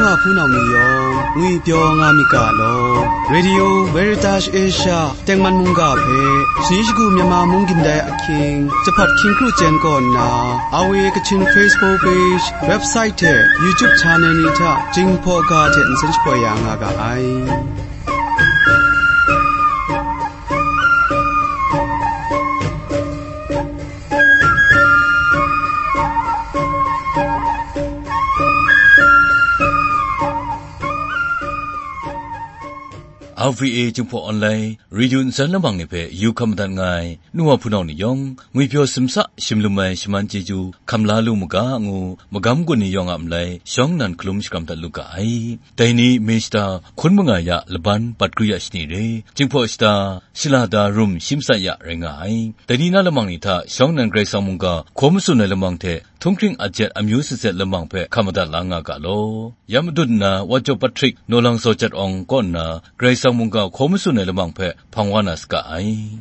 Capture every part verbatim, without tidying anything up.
Wa hpunau ni yawng ngwipyaw nga myit ga law. Radio Veritas Asia tengman mungga hpe, shani shagu Myanmar mung gindai ahkying, Jahpat Hkying Kru Jen kaw nna, R V A Kachin Facebook page, website hte YouTube channel ni hta Jinghpaw ga hte nsen shapoi ya nga ga ai. R V A Jinghpaw Online Radio nsen lamang ni hpe yu hkam madat nga ai, nu wa hpunau ni yawng, ngwipyaw simsa shimlum ai shaman chyeju hkam la lu mu ga ngu, magam gun ni yawng a malai shawng nnan hkalum shakram dat lu ga ai. Dai ni, Mista Hkun Mangai a laban Patgri a shani re, Jinghpaw shata, Shalada Rum shi matsat ya rai nga ai. Dai ni na lamang ni hta shawng nnan Karai Kasang mungga hkaw matsun ai lamang hte, htunghkring ajet amyu sazet lamang hpe hkam madat la nga ga law. Ya madun nna, Wa Jaw Patrick, Naw Lang Zaw Jat Awng kaw nna, Karai Kasang mungga hkaw matsun ai lamang hpe hpang wa na saga ai.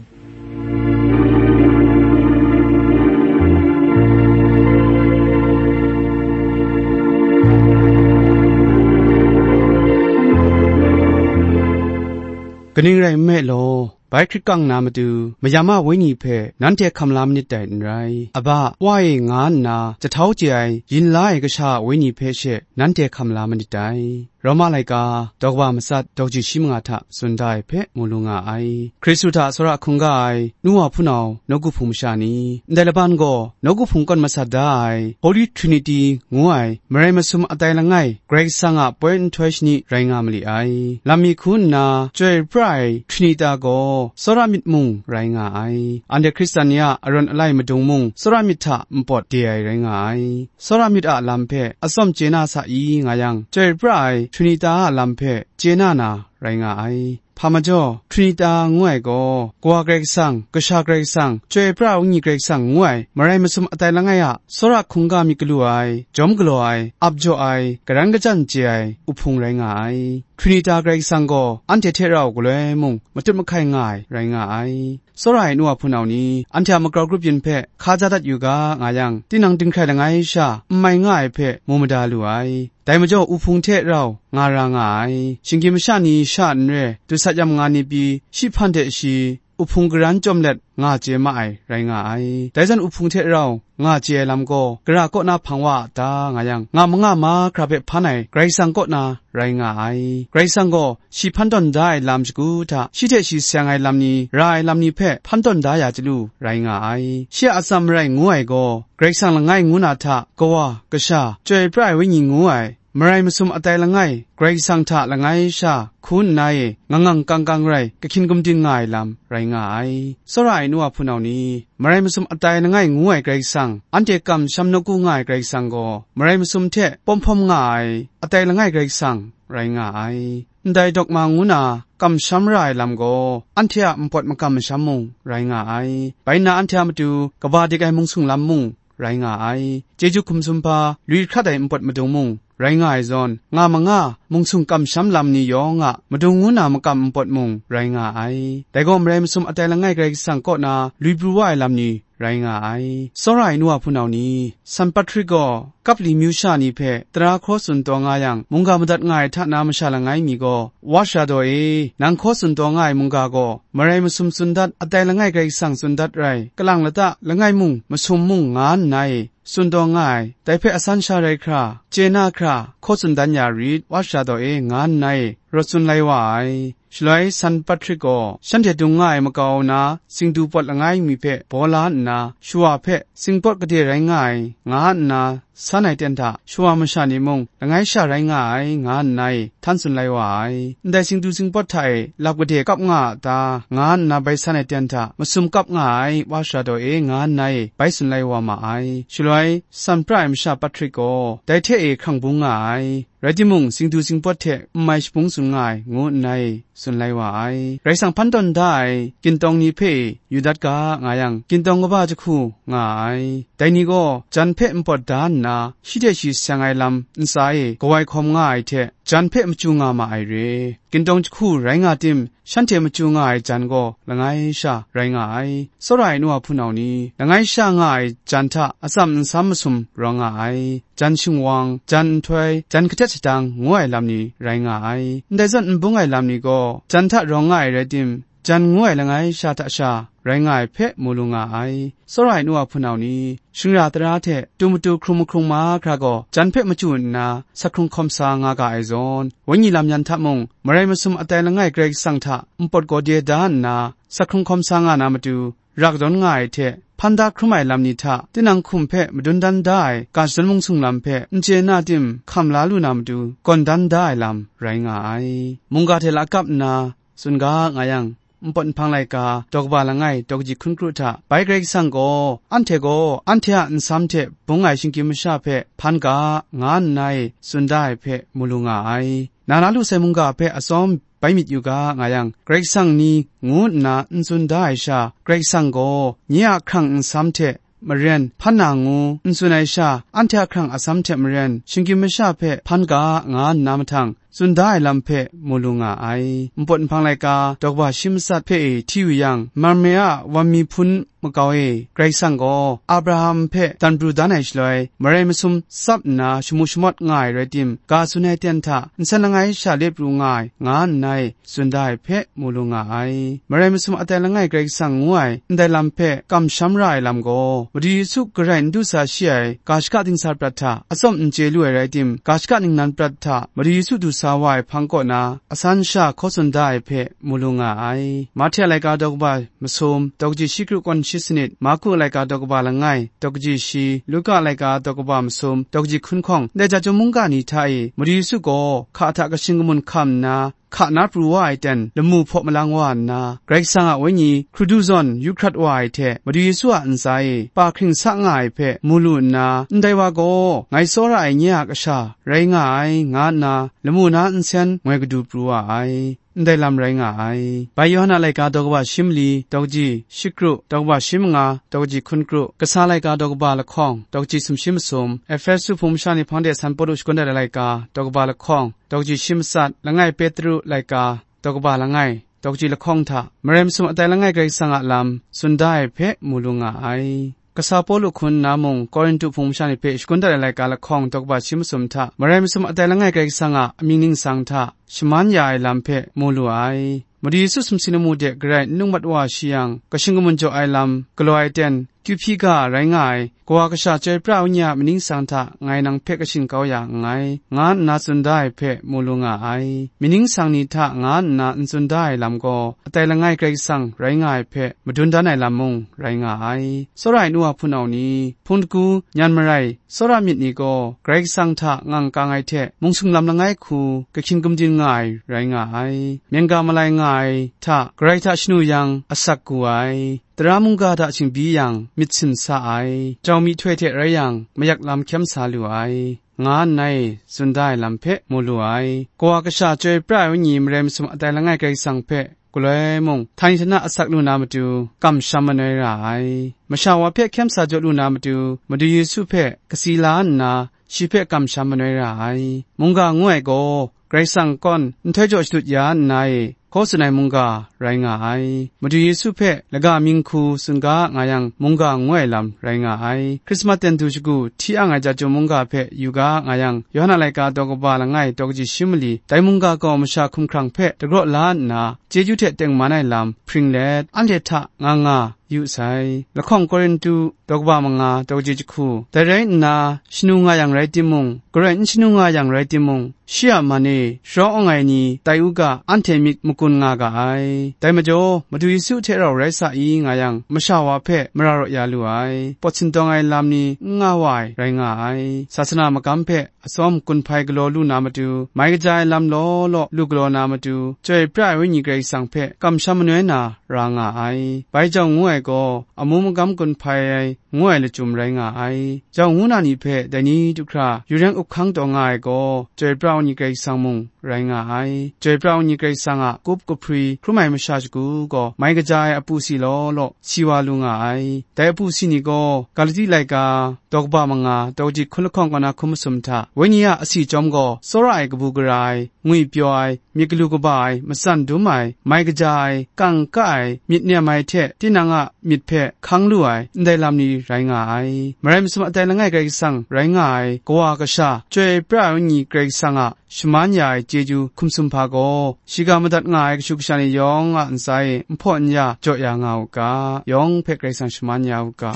Kaning rai nme law, bai hkrit kang na matu, mayam a wenyi hpe nanhte hkam la manit dai n rai. Aba, Wa e nga nna jahtau chye ai, yin la ai kasha a wenyi hpe she nanhte hkam la manit dai. Roma laika, daw kaba matsat, daw kaji shi manga hta tsun da ai hpe mu lu nga ai. Hkristu hta tsawra hkungga ai, nu wa hpunau, nawku hpung masha ni, ndai laban gaw, nawku hpung kawn masat da ai, Holy Trinity ngu ai, marai masum atai langai, Karai Kasang a poi nhtoi shani rai nga ma li ai. Lam mi hku nna, chyoi pra ai Trinita gaw, tsawra myit mung rai nga ai. Anhte Hkristan ni a arawn alai madung mung, tsawra myit hta npawt de ai rai nga ai. Tsawra myit a lam hpe atsawm chye na sa i nga yang, chyoi pra ai Trinita a lam hpe chye na na rai nga ai. Hpa majaw, Trinita ngu ai gaw, Kawa Karai Kasang, Kasha Karai Kasang, Chyoi Pra Wenyi Karai Kasang ngu ai, marai masum atai langai a, tsawra hkungga myit galu ai, jawm galaw ai, ap jaw ai, garan kajan chye ai, uhpung rai nga ai. Trinita Karai Kasang gaw, anhte hte rau galoi mung, matut mahkai nga ai, rai nga ai. Tsawra ai nu wa hpunau ni, anhte a magrau grup yin hpe hka ja dat yu ga, nga yang, tinang dinghkrai langai sha, n mai nga ai hpe mu mada lu ai. Dai majaw, uhpung hte rau nga ra nga ai. Shinggyim masha ni sha n re, dusat yam nga ni pyi, shi hpan hte shi, uhpung garan chyawm let nga chye ma ai, rai nga ai. Dai zawn, uhpung hte rau nga chye ai lam gaw, gara kaw na hpang wa a ta, nga yang, nga manga mahkra hpe hpan ai Karai Kasang kaw na rai nga ai. Karai Kasang gaw, shi hpan tawn da ai lam shagu hta, shi hte shi seng ai lam ni, ra ai lam ni hpe hpan tawn da ya chyalu, rai nga ai. Shi a atsam marai ngu ai gaw, Karai Kasang langai ngu na hta, Kawa, Kasha, Chyoi Pra ai Wenyi ngu ai, marai masum atai langai, Karai Kasang hta langai sha, hku nna e, ngang ngang kang kang rai, kahkyin gumdin nga ai lam, rai nga ai. Tsawra ai nu wa hpunau ni, marai masum atai langai ngu ai Karai Kasang, anhte kamsham nawku nga ai Karai Kasang gaw, marai masum hte pawm hpawm nga ai, atai langai Karai Kasang, rai nga ai. Ndai dogma ngu na kamsham ra ai lam gaw, anhte a npawt makam masham mung rai nga ai. Bai nna, anhte a matu kaba dik ai mungsung lam mung rai nga ai. Chyeju hkum sumhpa, lui hkrat ai npawt madung mung rai nga ai zawn, nga manga mungsung kamsham lam ni yawng a madung ngu na makam npawt mung rai nga ai. Dai gaw, marai masum atai langai Karai Kasang kaw na lui pru wa ai lam ni rai nga ai. Tsawra ai nu wa hpunau ni, San Patrik gaw Kapli myu sha ni hpe tara hkaw tsun taw nga yang, mungga madat nga ai hta na masha langai mi gaw, Wa sara daw e, nang hkaw tsun taw nga ai mungga gaw, marai masum tsun dat, atai langai Karai Kasang tsun dat rai, kalang lata langai mung, masum mung nga nna e, tsun taw nga ai, dai hpe asan sha rai hkra, chye na hkra, hkaw tsun dan ya rit, Wa sara daw e, nga nna e, rawt tsun lai wa ai. Shaloi San Patrik gaw shanhte dung nga ai makau na, singdu pawt langai mi hpe baw la nna, shawa hpe singpawt gade rai nga ai, nga nna, san ai ten hta shawa masha ni mung langai sha rai nga ai, nga nna e htan tsun lai wa ai. Ndai singdu singpawt hta e lap gade kap nga a ta, nga nna bai san ai ten hta masum kap nga ai, Wa sara daw e, nga nna e bai tsun lai wa ma ai. Shaloi, san pra ai masha Patrik gaw dai hte e hkrang bung nga ai. Rai timung, singdu singpawt hte n mai shabung tsun nga ai, ngu nna e tsun lai wa ai. Rai sang, hpan tawn da ai gintawng ni hpe yu dat ga, nga yang, gintawng kaba jahku nga ai. Dai ni gaw jan hpe npawt da nna, shi hte shi seng ai lam ntsa e kawai hkawm nga ai hte, jan hpe machyu nga ma ai re. Gintawng jahku rai nga tim, shanhte machyu nga ai jan gaw langai sha rai nga ai. Tsawra ai nu wa hpunau ni, langai sha nga ai jan hta atsam nsam masum rawng nga ai. jan shingwang, jan nhtoi, jan katet shadang ngu ai lam ni rai nga ai. Ndai zawn n bung ai lam ni gaw, jan hta rawng nga ai rai tim, jan ngu ai langai sha hta sha rai nga ai hpe mu lu nga ai. Tsawra ai nu a hpunau ni, shingra tara hte tu matu hkrung mahkrung mahkra gaw jan hpe machyu nna, sakhkrung hkawm sa nga ga ai zawn, wenyi lam yan hta mung, marai masum atai langai Karai Kasang hta npawt gaw de da nna, sakhkrung hkawm sa nga na matu, rak dawn nga ai hte, hpan da hkrum ai lam ni hta, tinang hkum hpe madun dan da ai ga shadawn mung sung lam hpe n chye na tim hkam la lu na matu, gawn dan da ai lam rai nga ai. Mungga hte lakap nna, tsun ga nga yang, npawt nhpang laika, daw kaba langai, daw kaji hkun kru hta, bai Karai Kasang gaw, anhte gaw, anhte a nsam hte bung ai shinggyim masha hpe hpan ga, nga nna e tsun da ai hpe mu lu nga ai. Na na lu sai mungga hpe atsawm bai myit yu ga nga yang, Karai Kasang ni ngu nna n tsun da ai sha, Karai Kasang gaw, nye a hkrang nsam hte maren hpan na ngu n tsun ai sha, anhte a hkrang atsam hte maren, shinggyim masha hpe hpan ga, nga nna mahtang, tsun da ai lam hpe mu lu nga ai. Npawt nhpang laika, daw kaba shi matsat hpe e hti yu yang, Mamre a wan mi hpun makau e, Karai Kasang gaw Abraham hpe dan pru dan ai shaloi, marai masum tsap nna shamu shamawt nga ai rai tim, ga tsun ai ten hta nsen langai sha let pru nga ai, nga nna e, tsun da ai hpe mu lu nga ai. Marai masum atai langai Karai Kasang ngu ai ndai lam hpe kamsham ra ai lam gaw, Madu Yesu garai n du sa shi ai ga shaka dingsa prat hta atsawm n chye lu ai rai tim, ga shaka ningnan prat hta Madu Yesu du sa wa ai hpang kaw na, asan sha hkaw tsun da ai hpe mu lu nga ai. Mahte a laika daw kaba masum, daw kaji shi kru kawn shi sanit, Marku a laika daw kaba langai, daw kaji shi, Luka a laika daw kaba masum, daw kaji hkun hkawng, ndai ja chyum mungga ni hta e, Madu Yesu gaw hka hta kashin kamun hkam nna, hka na pru wa ai ten lamu hpaw malang wa nna, Karai Kasang a Wenyi hkrudu zawn yu hkrat wa ai hte, Madu Yesu a ntsa e pa hkring sa nga ai hpe mu lu nna, ndai wa gaw, ngai tsawra ai nye a kasha rai nga ai, nga nna, lamu na nsen ngoi kadu pru wa ai. Ndai lam rai nga ai. Bai Yawhan a laika daw kaba shi mali, daw kaji shi kru, daw kaba shi manga, daw kaji hkun kru, kasa laika daw kaba lahkawng, daw kaji sumshi masum, Ehpesu hpung masha ni hpang de San Pawlu shagun dat ai laika, daw kaba lahkawng, daw kaji shi matsat, langai Petru laika, daw kaba langai, daw kaji lahkawng hta, marai masum atai langai Karai Kasang a lam tsun da ai hpe mu lu nga ai. Kasa Pawlu hkun nna mung, Korintu hpung masha ni hpe shagun dat ai laika lahkawng daw kaba shi masum hta, marai masum atai langai Karai Kasang a amying ningsang hta shaman ya ai lam hpe mu lu ai. Madu Yesu sumsing lamu de garai n lung mat wa shi yang, kashin kamun jaw ai lam galaw ai ten, kyu hpyi ga rai nga ai, Kawa Kasha Chyoi Pra Wenyi a amying ningsang hta ngai nang hpe kashin kau ya nngai, nga nna tsun da ai hpe mu lu nga ai. Amying ningsang ni hta nga nna n tsun da ai lam gaw, atai langai Karai Kasang rai nga ai hpe madun dan ai lam mung rai nga ai. Tsawra ai nu a hpunau ni, hpung dagu, nyan marai, tsawra myit ni gaw, Karai Kasang hta ngang kang ai hte, mung sung lam langai hku, kahkyin gumdin nga ai rai nga ai. Myengga malai nga ai hta, Karai hta shanu yang, asak gu ai. Tara mungga hta shingbyi yang, myit sin sa ai. Jau myihtoi hte rai yang, mayak lam hkyem sa lu ai, nga nna e tsun da ai lam hpe mu lu ai. Kawa Kasha Chyoi Pra ai Wenyi marai masum atai langai Karai Kasang hpe, galoi mung, htani htana asak lu na matu, kamsham manoi ra ai. Masha wa hpe hkyem sa jaw lu na matu, Madu Yesu hpe kasi la nna, shi hpe kamsham manoi ra ai. Mungga ngu ai gaw, Karai Kasang kawn nhtoi jaw shadut ya nna e, hkaw tsun ai mungga rai nga ai. Madu Yesu hpe laga mying hku tsun ga nga yang, mungga ngu ai lam rai nga ai. Hkrismat ten du shagu hti ang ai ja chyum mungga hpe yu ga nga yang, Yawhan a laika daw kaba langai daw kaji shi mali, dai mungga gaw masha hkumhkrang hpe dagraw la nna, chyeju hte tengman ai lam hpring let, anhte hta nga nga yu sai. Lahkawng Korintu, daw kaba manga, daw kaji jahku. Dai rai nna, shanu nga yang rai timung, garai n shanu nga yang rai timung, shi a man e sharawng awng ai ni tai u ga, anhte myit makun nga ga ai. Dai majaw, Madu Yesu hte rau rai sa i nga yang, masha wa hpe mara raw ya lu ai, pawt sindawng ai lam ni n nga wa ai rai nga ai. Sasana magam hpe atsawm gun hpai galaw lu na matu, mai kaja ai lam law law lu galaw na matu, Chyoi Pra ai Wenyi Karai Kasang hpe kamsham manoi na ra nga ai. Bai jau ngu ai gaw, amu magam gun hpai ai ngu ai lachyum rai nga ai. Jau ngu na ni hpe dai ni du hkra yu reng up hkang taw nga ai gaw, Chyoi Pra ai Wenyi Karai Kasang mung rai nga ai. Chyoi pra ai Wenyi Karai Kasang a kup kahpri hkrum ai masha shagu gaw mai kaja ai apu si law law si wa lu nga ai. Dai apu si ni gaw Galati laika daw kaba manga daw kaji hkun lahkawng kaw na hkun masum hta, Wenyi a asi chyawm gaw tsawra ai kabu gara ai, ngwipyaw ai, myit galu kaba ai, matsan dum ai, mai kaja ai, kang ka ai, myit nem ai hte tinang a myit hpe hkang lu ai, ndai lam ni rai nga ai. Marai masum a tai langai Karai Kasang rai nga ai, kawa kasha, Chyoi pra ai Wenyi Karai Kasang a shaman ya ai chyeju hkum sumhpa gaw, shiga madat nga ai kashu kasha ni yawng a ntsa e nhpaw n ya jaw ya nga u ga, yawng hpe Karai Kasang shaman ya u ga.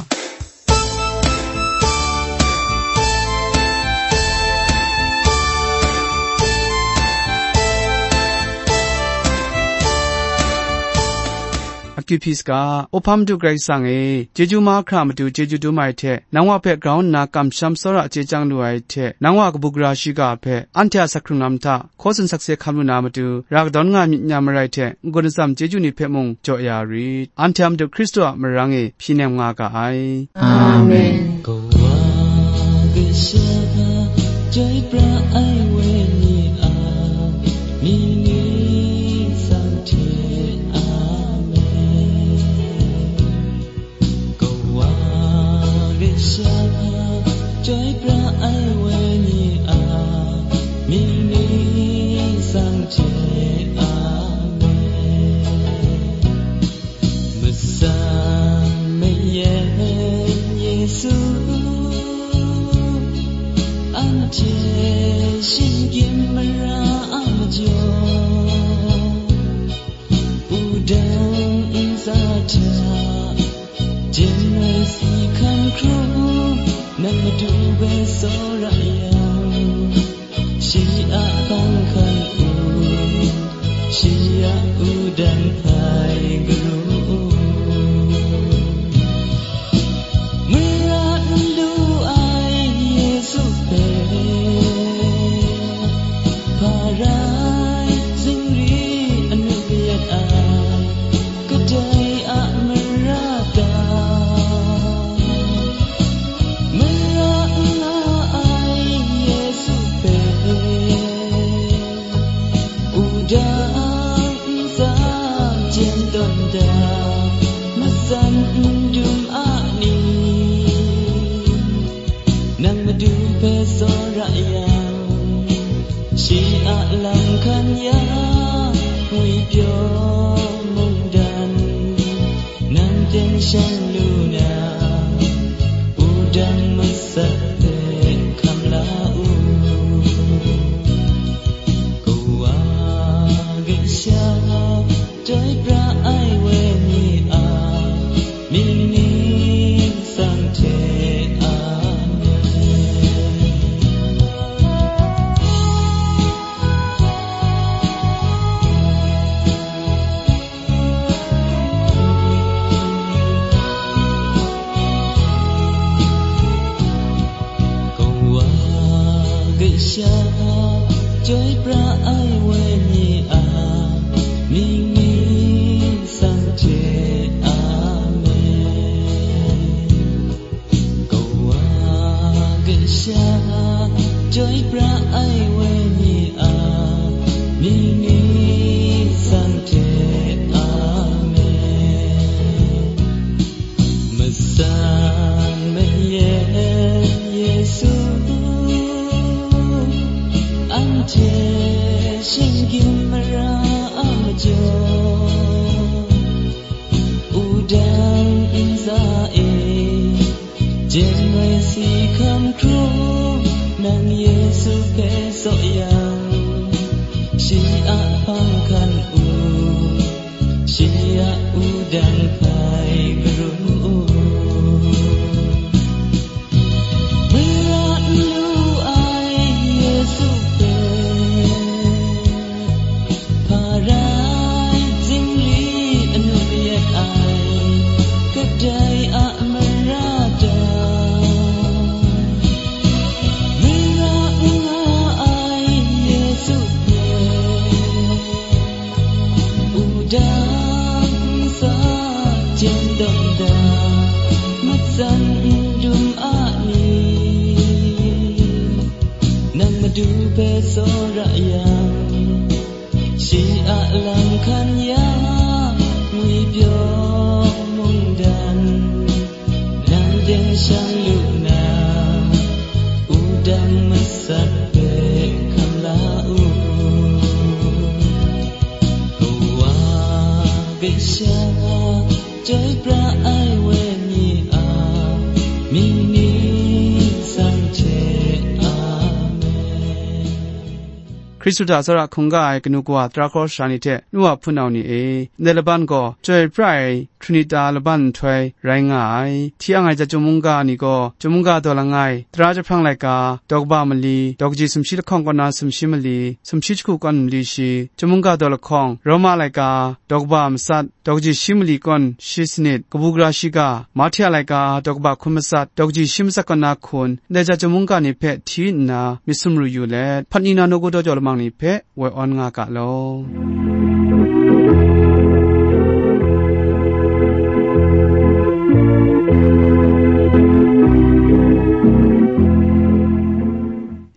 Akyu hpyi saga, Awhpa Madu Karai Kasang e, chyeju mahkra matu chyeju dum ai hte, nang wa hpe grau nna kamsham tsawra chye chyang lu ai hte, nang wa kabu gara shiga hpe, anhte a asak hkrung lam hta, hkaw tsun sakse hkam lu na matu, ra kadawn nga myit nya marai hte, n-gun atsam chyeju ni hpe mung jaw ya rit. Anhte a Madu Hkristu a marang e hpyi nem nga ga ai. Amen. Kawa kasha, chyoi pra ai Wenyi a, mying ni sang hte, amen. Kawa kasha, chyoi pra ai Wenyi a, mying ni sang hte, amen. Matsan mayan Yesu, anhte shinggyim mara a majaw, wudang ntsa hta, jeng ai si hkan hkrum, nang Madu hpe tsawra yang, shi a hpang hkan u, shi a wudang hpai garu u. Mara n lu ai Yesu hpe, hpa rai zingri anu yet ai, kadai a mara ta? Mara n nga ai Yesu hpe, wudang ntsa jen tawn da, matsan n dum a ni? Nang Madu hpe tsawra yang, shi a lam hkan ya, ngwipyaw mungdan, nang ten shang lu na, wudang masat hpe hkam la u. Kawa kasha, chyoi pra ai Wenyi a, mying ni sang hte, amen. Kawa kasha, chyoi pra ai Wenyi a, mying ni sang hte, amen. Kawa kasha, chyoi pra ai Wenyi a, mying ni sang hte, amen. Matsan mayan Yesu, anhte shinggyim mara a majaw, wudang ntsa e, jeng ai si hkan hkrum, nang Yesu hpe tsaw yang, shi a hpang hkan u, shi a wudang hpai garu u. Mara n lu ai Yesu hpe, hpa rai zingri anu yet ai, kadai a mara ta? Mara n nga ai Yesu hpe, wudang ntsa jen tawn da, matsan n dum a ni? Nang Madu hpe tsawra yang, Lam hkan ya ngwi pyaw mungdan, nang de shang lu na, wudang masat hpe hkam la u. Kawa hpe sha chyoi pra ai wenyi a mying ni san hte. Amen. Hkristu hta tsawra hkungga ai kanu kawa tara hkawra sara ni hte, nu wa hpunau ni e, ndai laban gaw chyoi pra ai Trinita laban nhtoi rai nga ai. Hti ang ai chyum mungga ni gaw, chyum mungga daw langai, tara jahprang laika, daw kaba mali, daw kaji sumshi lahkawng kaw na sumshi mali, sumshi jahku kawn mali shi, chyum mungga daw lahkawng, Roma laika, daw kaba matsat, daw kaji shi mali kawn shi sanit, kabu gara shiga, Mahti a laika, daw kaba hkun matsat, daw kaji shi matsat kaw na hkun, ndai chyum mungga ni hpe hti nna myit sumru yu let, hpat ni na nawku daw jau lamang ni hpe woi awn nga ga law.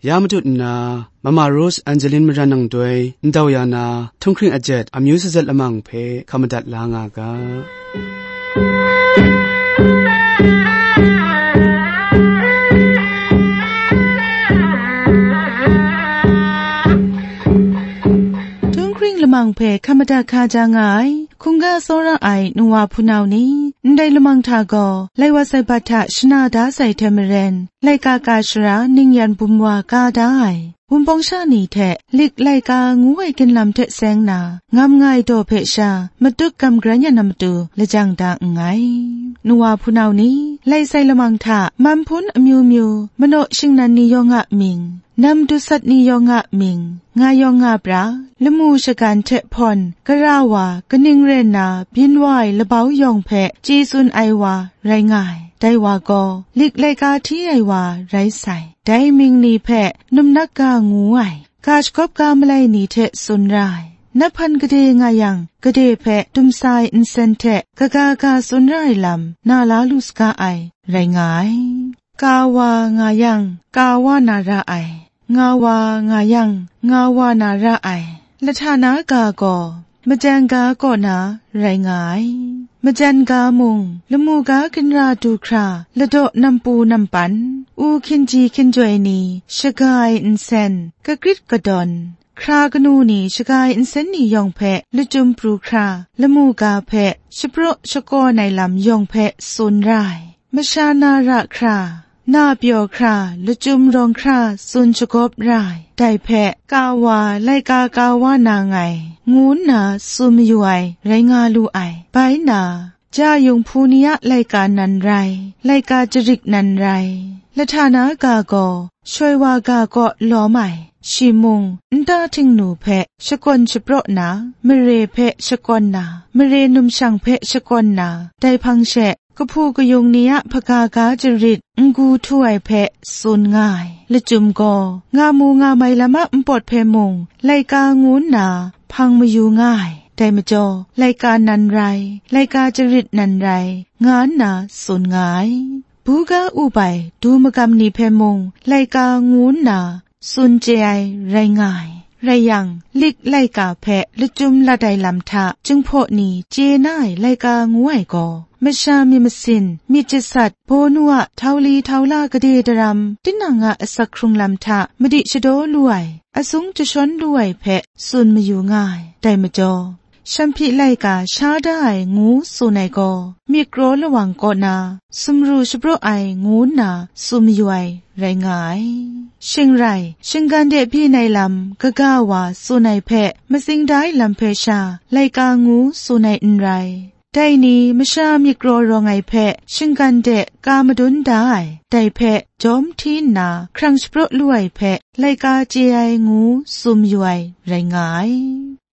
Ya matut nna, Mama Rose Angeline Maran nang doi ndau ya na, Htunghkring ajet amyu sazat lamang hpe hkam madat la nga ga. Htunghkring lamang hpe hkam madat hkaja nga ai, hkungga tsawra ai nu wa hpunau ni, ndai lamang hta gaw, lai wa sai bat hta shana da sai hte maren, laika ka shara ning yan bum wa ka da ai, Wunpawng sha ni hte lik laika ngu ai ginlam hte seng na, ngam nga ai daw hpe sha, matut gam gran ya na matu lajang da nngai. Nu wa hpunau ni, lai sai lamang hta, man hpun amyu myu, manaw shingnan ni yawng a mying, nam dusat ni yawng a mying, nga yawng nga pra, lamu shagan hte hpawn, gara wa, kaning rai nna, byin wa ai labau yawng hpe, chye tsun ai wa, rai nga ai. Dai wa gaw, lik laika hti ai wa, rai sai. Dai mying ni hpe, num nat ga ngu ai, ga shagawp ga malai ni hte tsun ra ai. Nat hpan gade nga yang, gade hpe dumsa ai nsen hte, kaga ga tsun ra ai lam, na la lu saga ai, rai nga ai. Ka wa nga yang, ka wa na ra ai. Nga wa nga yang, nga wa na ra ai. Lahta na ga gaw, majan ga kaw na rai nga ai. Majan ga mung, lamu ga ginra du hkra, ladaw nampu nampan, u hkinji hkinjoi ni, shaga ai nsen, kakrit kadawn, hkra kanu ni shaga ai nsen ni yawng hpe lachyum pru hkra, lamu ga hpe shapraw shakawn ai lam yawng hpe tsun ra ai. Masha na ra hkra, na pyaw hkra, lachyum rawng hkra tsun shagawp ra ai. Dai hpe, ka wa, laika ka wa na nngai, ngu nna tsun mayu ai, rai nga lu ai. Bai nna, ja yung hpu ni a laika nan rai, laika jarit nan rai. Lahta na ga gaw, shoi wa ga kaw lawm ai. Shi mung, nta htingnu hpe shakawn shapraw na, mare hpe shakawn na, mare numshang hpe shakawn na, dai hpang she, kahpu kayung ni a hpaga ga jarit n-gu htu ai hpe tsun nga ai. Lachyum gaw, nga mu nga mai lam a npawt hpe mung, laika ngu nna hpang mayu nga ai. Dai majaw, laika nan rai, laika jarit nan rai, nga nna tsun nga ai. Buga up ai du magam ni hpe mung, laika ngu nna tsun chye ai rai nga ai. Rai yang, lik laika hpe lachyum lat ai lam hta, Jinghpaw ni chye na ai laika ngu ai gaw, masha myit masin, myit jasat, baw nu a htau li htau la gade daram, tinang a asak hkrung lam hta madi shadaw lu ai, asung jashawn lu ai hpe tsun mayu nga ai. Dai majaw, shanhpyi laika sha da ai ngu tsun ai gaw, myit kraw lawang kaw na, sumru shapraw ai ngu nna tsun mayu ai rai nga ai. Shing rai, shinggan de byin ai lam kaga wa tsun ai hpe, matsing da ai lam hpe sha, laika ngu tsun ai n rai. Dai ni masha myit kraw rawng ai hpe shinggan de ka madun da ai, dai hpe jawm hti nna hkrang shapraw lu ai hpe laika chye ai ngu tsun mayu ai rai nga ai.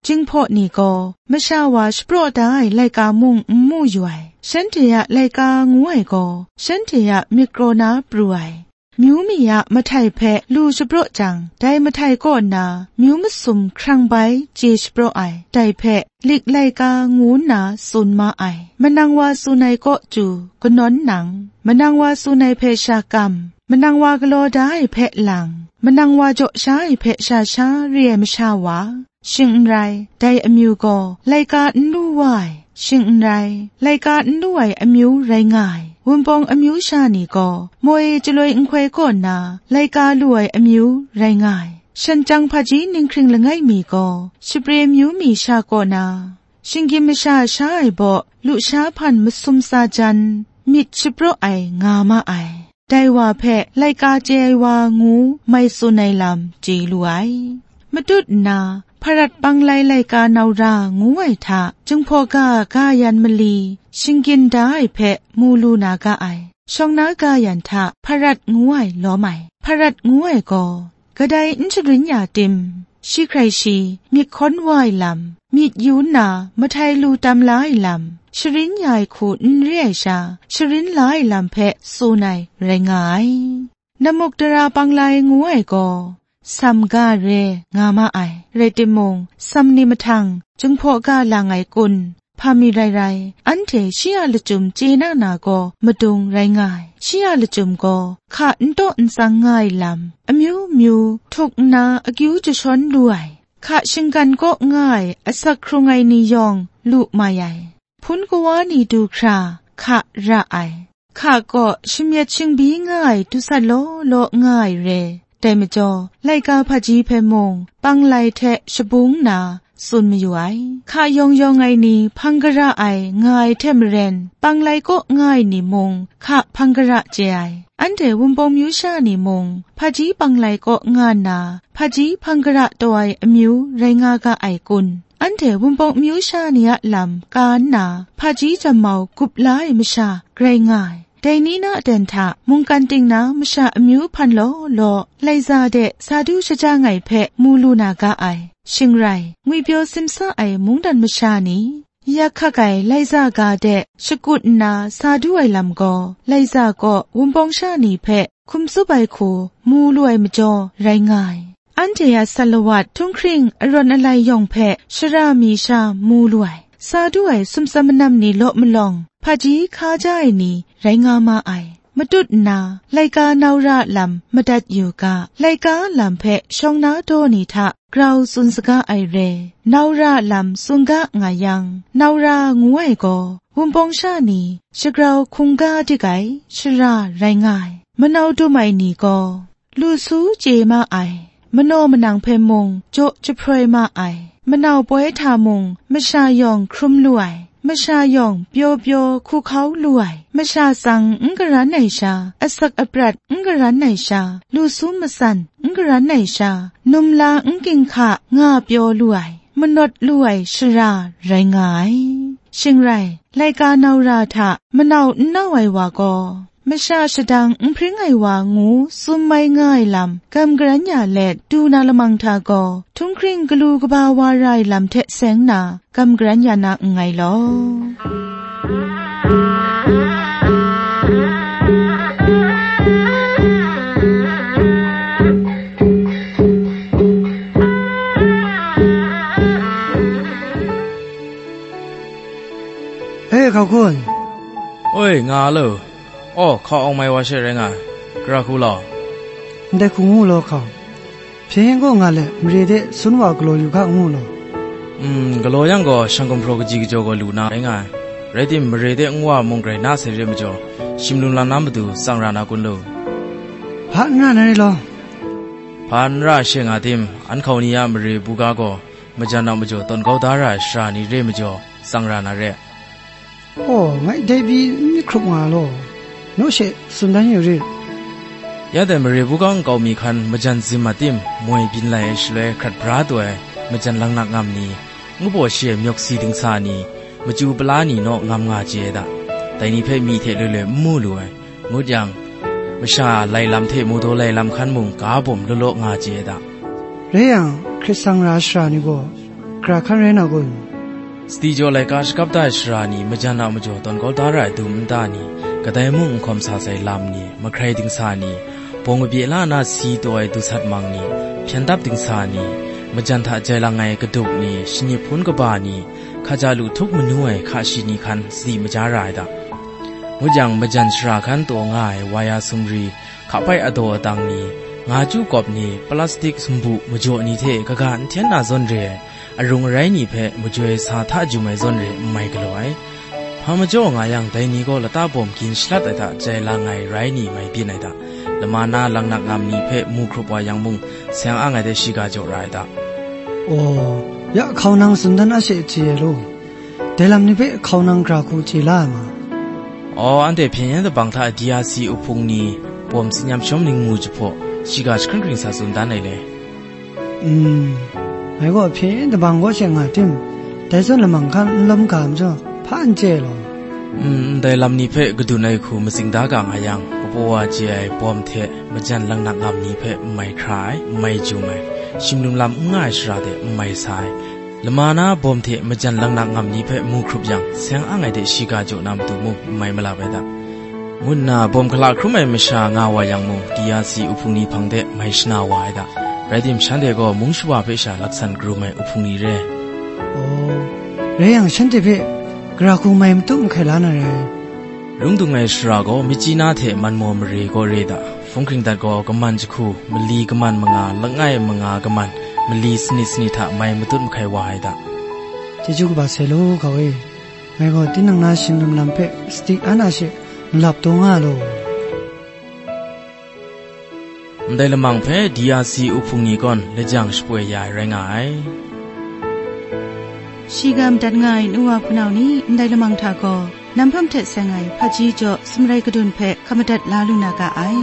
Jinghpaw ni gaw masha wa shapraw da ai laika mung n mu yu ai, shanhte a laika ngu ai gaw shanhte a myit kraw na pru ai. Myu mi a mahtai hpe lu shapraw jang, dai mahtai kaw na myu masum hkrang bai chye shapraw ai, dai hpe lik laika ngu nna tsun ma ai. Manang wa tsun ai kaw chyu kanawn nang, manang wa tsun ai hpe sha kam, manang wa galaw da ai hpe lang, manang wa jaw sha ai hpe sha sha re ai masha wa, shing n rai, dai amyu gaw laika n lu wa ai, shing n rai, laika n lu ai amyu rai nga ai. Wunpawng amyu sha ni gaw moi chyaloi nhkoi kaw na laika lu ai amyu rai nga ai. Shan chyang hpaji ninghkring langai mi gaw shapre amyu mi sha kaw na, shinggyim masha sha ai baw lusha hpan masum sa jan, myit shapraw ai nga ma ai. Dai wa hpe laika chye ai wa ngu mai tsun ai lam chye lu ai. Matut nna, Hparat Panglai laika naura ngu ai hta, Jinghpaw ga ga yan mali, shinggyim da ai hpe mu lu na ga ai. Shawng na ga yan hta Hparat ngu ai lawm ai. Hparat ngu ai gaw, kadai n sharin ya tim, shi hkrai shi myit hkawn wa ai lam, myit yu nna mahtai lu tam la ai lam, sharin ya ai hku n re ai sha, sharin la ai lam hpe tsun ai rai nga ai. Namukdara Panglai ngu ai gaw, Sam ga re nga ma ai, rai timung, Sam ni mahtang Jinghpaw ga lang ai kun, hpa mi rai rai, anhte shi a lachyum chye na na gaw madung rai nga ai. Shi a lachyum gaw hka n taw n tsang nga ai lam, amyu myu htuk nna akyu jashawn lu ai, hka shinggan kaw nga ai asak hkrung ai ni yawng lu mai ai. Hpun kawa ni du hkra hka ra ai, hka kaw shamyet shingbi nga ai dusat law law nga ai re. Dai majaw, laika hpaji hpe mung, Panglai hte shabung nna tsun mayu ai. Hka yawng yawng ai ni hpang gara ai nga ai hte maren, Panglai kaw nga ai ni mung, hka hpang gara chye ai. Anhte Wunpawng myu sha ni mung, hpaji Panglai kaw nga nna, hpaji hpang gara taw ai amyu rai nga ga ai kun? Anhte Wunpawng myu sha ni a lam ka nna, hpaji jammau gup la ai masha grai nga ai. Dai ni na aten hta mungkan ting na masha amyu hpan law law, laiza de sa du shajang ai hpe mu lu na ga ai. Shing rai, ngwipyaw simsa ai mungdan masha ni, yak hkak ai laiza ga de shakut nna sa du ai lam gaw, laiza kaw Wunpawng sha ni hpe hkum tsup ai hku mu lu ai majaw rai nga ai. Anhte a salawat htunghkring arawn alai yawng hpe shara mi sha mu lu ai, sa du ai sumsat manam ni law malawng, hpaji hka ja ai ni rai nga ma ai. Matut nna, laika naura a lam madat yu ga, laika a lam hpe shawng na daw ni hta grau tsun saga ai re. Naura a lam tsun ga nga yang, naura ngu ai gaw, Wunpawng sha ni shagrau hkungga dik ai shara rai nga ai. Manau dum ai ni gaw, lu su chye ma ai, manaw manang hpe mung jaw jahproi ma ai, manau poi hta mung masha yawng hkrum lu ai, masha yawng pyaw pyaw hku hkau lu ai, masha tsang n karan ai sha, asak aprat n karan ai sha, lu su matsan n karan ai sha, num la n ginhka nga pyaw lu ai, manawt lu ai shara rai nga ai. Shing rai, laika naura hta manau n nau ai wa gaw, masha shadang n hpring ai wa ngu tsun mai nga ai lam gam garan ya let du na lamang hta gaw, htunghkring galu kaba wa ra ai lam hte seng na gam garan ya na nngai law. E, hkau hku. Oi, nga lo. Aw, hkau awng mai wa she rai nga ai. Gara hku law. Ndai hku ngu law, hkau. Hpyen yen kaw nga let, mare de sun wa galaw yu ga ngu law. Mm, galaw yang gaw, shang gumhpraw kaji kajaw gaw lu na rai nga ai. Rai tim, mare de nwa mung grai na sai re majaw, shim lung lam na matu tsang ra na kun lu. Hpa n ra na rai law. Hpa n ra she nga tim, an hkau ni a mare buga gaw, majan a majaw tawn kau da ra ai shara ni re majaw, tsang ra na re. Aw, ngai dai pyi n myit hkrup nga law, naw she tsun dan yu rit. Ya dai mare buga nkau mi hkan majan zim a tim, moi byin lai ai shaloi hkrat bra taw ai, majan laknak ngam ni, ngu baw shi ai myawk si dingsa ni, machyu pala ni naw ngam nga chye ai da. Dai ni hpe myi hte loi loi n mu lu ai, ngut yang, masha a lai lam hte mu daw lai lam hkan mung ga bawm law law nga chye ai da. Rai yang, hkrit sang ra shara ni gaw, gara hkan rai na kun? Sadi jaw laika shakap da ai shara ni, majan a majaw tawn kau da ra ai dum nta ni, kadai mung n hkawm sa sai lam ni, mahkrai dingsa ni, bawng kabye la na si taw ai dusat mang ni, hpyen dap dingsa ni, majan hta jai lang ai kaduk ni, shani hpun kaba ni, hkaja lu htuk manu ai hka shi ni hkan sadi maja ra ai da. Ngut yang, majan shara hkan taw nga ai waya sumri, hka pai adaw adang ni, nga chyu kawp ni, plastik sumbu majaw ni hte kaga n hten na zawn re ai, arung arai ni hpe majoi sa hta jum ai zawn re n mai galaw ai. Hpa majaw nga yang, dai ni gaw lata bawm gin shalat ai hta jai lang ai rai ni mai byin ai hta, lama na langnak ngam ni hpe mu hkrup wa yang mung, seng ang ai de shiga jaw ra ai hta. Aw, ya hkau nang tsun dan a she chye ai law, dai lam ni hpe hkau nang gara hku chye la ai ma? Aw, anhte hpyen yen dabang hta D R C uhpung ni bawm tsin yam shawm ning mu jahpaw, shiga jahkring hkring sa tsun dan ai le. Mm, ngai gaw hpyen yen dabang kaw she nga tim, dai zawn lamang hkan n lawm ga majaw, hpa n chye ai law. Mm, ndai lam ni hpe kadun ai hku matsing da ga nga yang, kapaw wa chye ai bawm hte majan langnak ngam ni hpe n mai hkra ai, n mai jum ai, shimlum lam n nga ai shara de n mai sa ai, lama na bawm hte majan langnak ngam ni hpe mu hkrup yang, seng ang ai de shiga jaw na matu mung n mai malap ai hta, ngu nna bawm hkala hkrum ai masha nga wa yang mung, D R C uhpung ni hpang de mai shana wa ai hta. Rai tim, shanhte gaw mung shawa hpe sha laksan karum ai uhpung ni re. Aw, rai yang, shanhte hpe gara hku mai matu mahkai la na rai. Lung dung ai shara gaw, Myitkyina hte Manmaw mare gaw re da, hpung hkring dat gaw, kaman jahku, mali kaman manga, langai manga kaman, mali sanit sanit hta mai matut mahkai wa ai da. Chyeju kaba sai law, gau e. Ngai gaw tinang na shingrim lam hpe sadi an a she malap taw nga law. Ndai lamang hpe D R C uhpung ni kawn lajang shapoi ya ai rai nga ai. Shiga madat nga ai nu wa hpunau ni, ndai lamang hta gaw, nam hpam hte seng ai hpaji jaw sumrai kadun hpe hkap madat la lu na ga ai.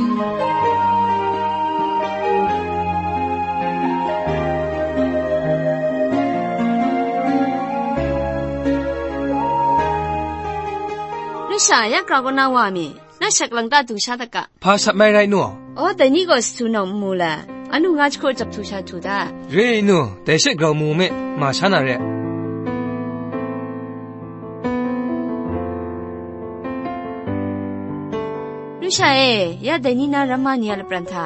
Lu sha, ya grau kaw na wa mi? Na shat lang ta du sha dat ga. Hpa shat mai rai nu? Aw, dai ni gaw satu nawng n mu la, anu nga jahku jahtu sha htu da. Re ai nu, dai she grau mu me, ma sha na re. Lu sha e, ya dai ni na ramma ni a lapran hta,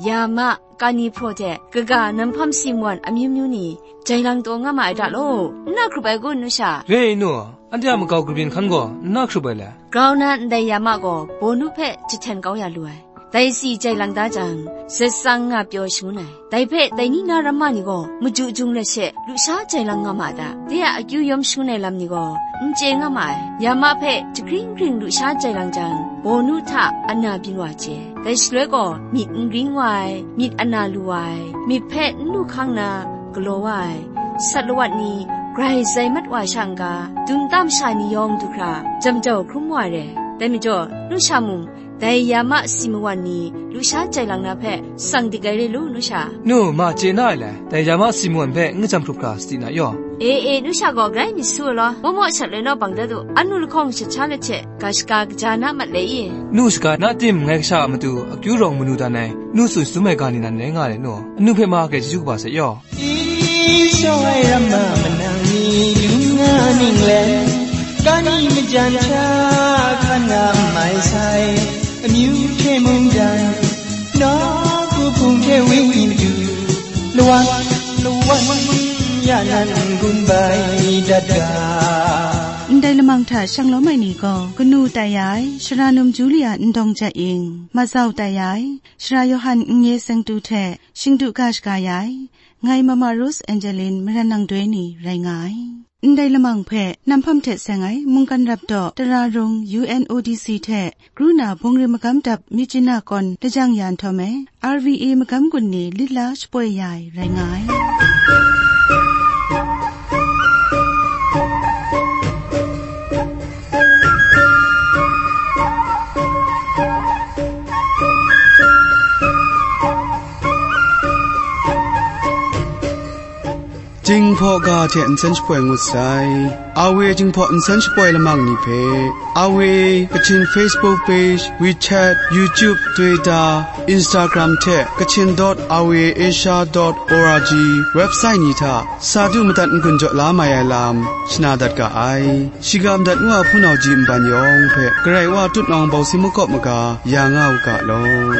ya ma, kani hpraw hte, kaga, nam hpam si mawan amyu myu ni, jai lang taw nga ma ai da law, n na hkrup ai kun, nu sha? Re ai nu, anhte a makau kabyin hkan gaw n na hkrup ai le? Grau na ndai ya ma gaw, bawnu hpe jahten kau ya lu ai. Dai tsi jai lang da jang, zet tsang nga pyaw shangun ai. Dai hpe dai ni na ramma ni gaw, maju jung let she, lusha jai lang nga ma ai da. De a akyu yawm shangun ai lam ni gaw, n chye nga ma ai. Ya ma hpe jahkring hkring lusha jai lang jang, bawnu hta ana byin wa chye. Dai shaloi gaw myit n gring wa ai, myit ana lu wa ai, myit hpe n lu hkang na galaw wa ai, sat lawat ni grai zai mat wa sha n-ga, dum tam sha ni yawng du hkra, jam jau hkrum wa ai re. Dai majaw, nu sha mung, dai ya ma si mawan ni lusha jai lang na hpe tsang dik ai re lu, nu sha. Nu, ma chye na ai le, dai ya ma si mawan hpe n kajam hkrup hkra sadi na yaw. E, e, nu sha gaw grai myit su ai law, maw maw shat lai naw bang dat u, anu lahkawng shat sha let hte, ga shaga kaja na mat le i? Nu shaga na tim, ngai kasha a matu akyu rawng manu dan ai, nu tsun shatum ai ga ni nan rai nga ai nu, anu hpe ma grai chyeju kaba sai yaw. Isi ai ramma manang ni lu nga ning le, kani majan hta hkan nga mai sai, amyu hte mungdan, nawku hpung hte wenyi matu, lawan, lawan, ya nan gun bai dat ga. Ndai lamang hta shang lawm ai ni gaw, kanu tai ya ai, Sara Num Julia Ndawng Jat Ying, mazau tai ya ai, Sara Yawhan N Ye Sengtu hte, shingdu ga shaga ya ai, ngai Mama Rose Angeline Maran Nang Doi ni rai nga ai. Ndai lamang hpe, nam hpam hte seng ai, mungkan rap daw, Tara Rung U N O D C hte, Kru na bungri magam dap Myitkyina kawn lajang ya nhtawm e, R V A magam gun ni lit la shapoi ya ai rai nga ai. Jinghpaw ga hte nsen shapoi ngut sai. Awe Jinghpaw nsen shapoi lamang ni hpe, Awe Kachin Facebook page, WeChat, YouTube, Twitter, Instagram hte Kachin dot awe asia dot org website ni hta sa du madat n-gun jaw la mai ai lam shana dat ga ai. Shiga madat ngu a hpunau ji nban yawng hpe Karai Wa tutnawng bawsi makawp maga ya nga u ga law.